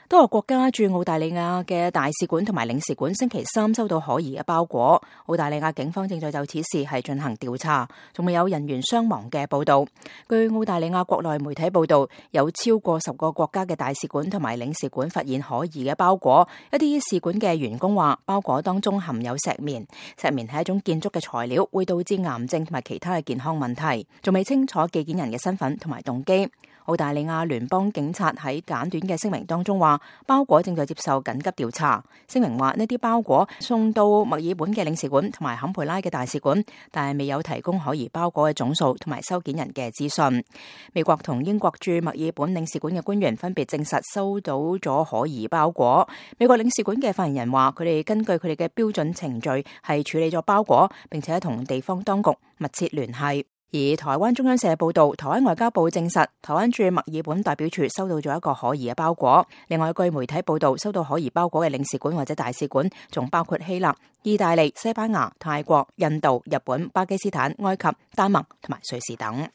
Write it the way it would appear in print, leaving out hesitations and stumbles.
多個國家駐澳大利亞嘅大使館同埋領事館星期三收到可疑嘅包裹，澳大利亞警方正在就此事係進行調查，仲未有人員傷亡嘅報道。據澳大利亞國內媒體報道，有超過10個國家嘅大使館同埋領事館發現可疑嘅包裹，一啲使館嘅員工話包裹當中含有石棉，石棉係一種建築嘅材料，會導致癌症同埋其他嘅健康問題，仲未清楚寄件人嘅身份同埋動機。澳大利亞聯邦警察喺簡短嘅聲明當中話，包裹正在接受緊急調查。聲明話呢啲包裹送到墨爾本嘅領事館同埋坎培拉嘅大使館，但係未有提供可疑包裹嘅總數同埋收件人嘅資訊。美國同英國駐墨爾本領事館嘅官員分別證實收到咗可疑包裹。美國領事館嘅發言人話，佢哋根據佢哋嘅標準程序係處理咗包裹，並且同地方當局密切聯繫。而台灣中央社報道，台灣外交部證實，台灣駐墨爾本代表處收到咗一個可疑嘅包裹。另外，據媒體報道，收到可疑包裹嘅領事館或者大使館，仲包括希臘、意大利、西班牙、泰國、印度、日本、巴基斯坦、埃及、丹麥同埋瑞士等。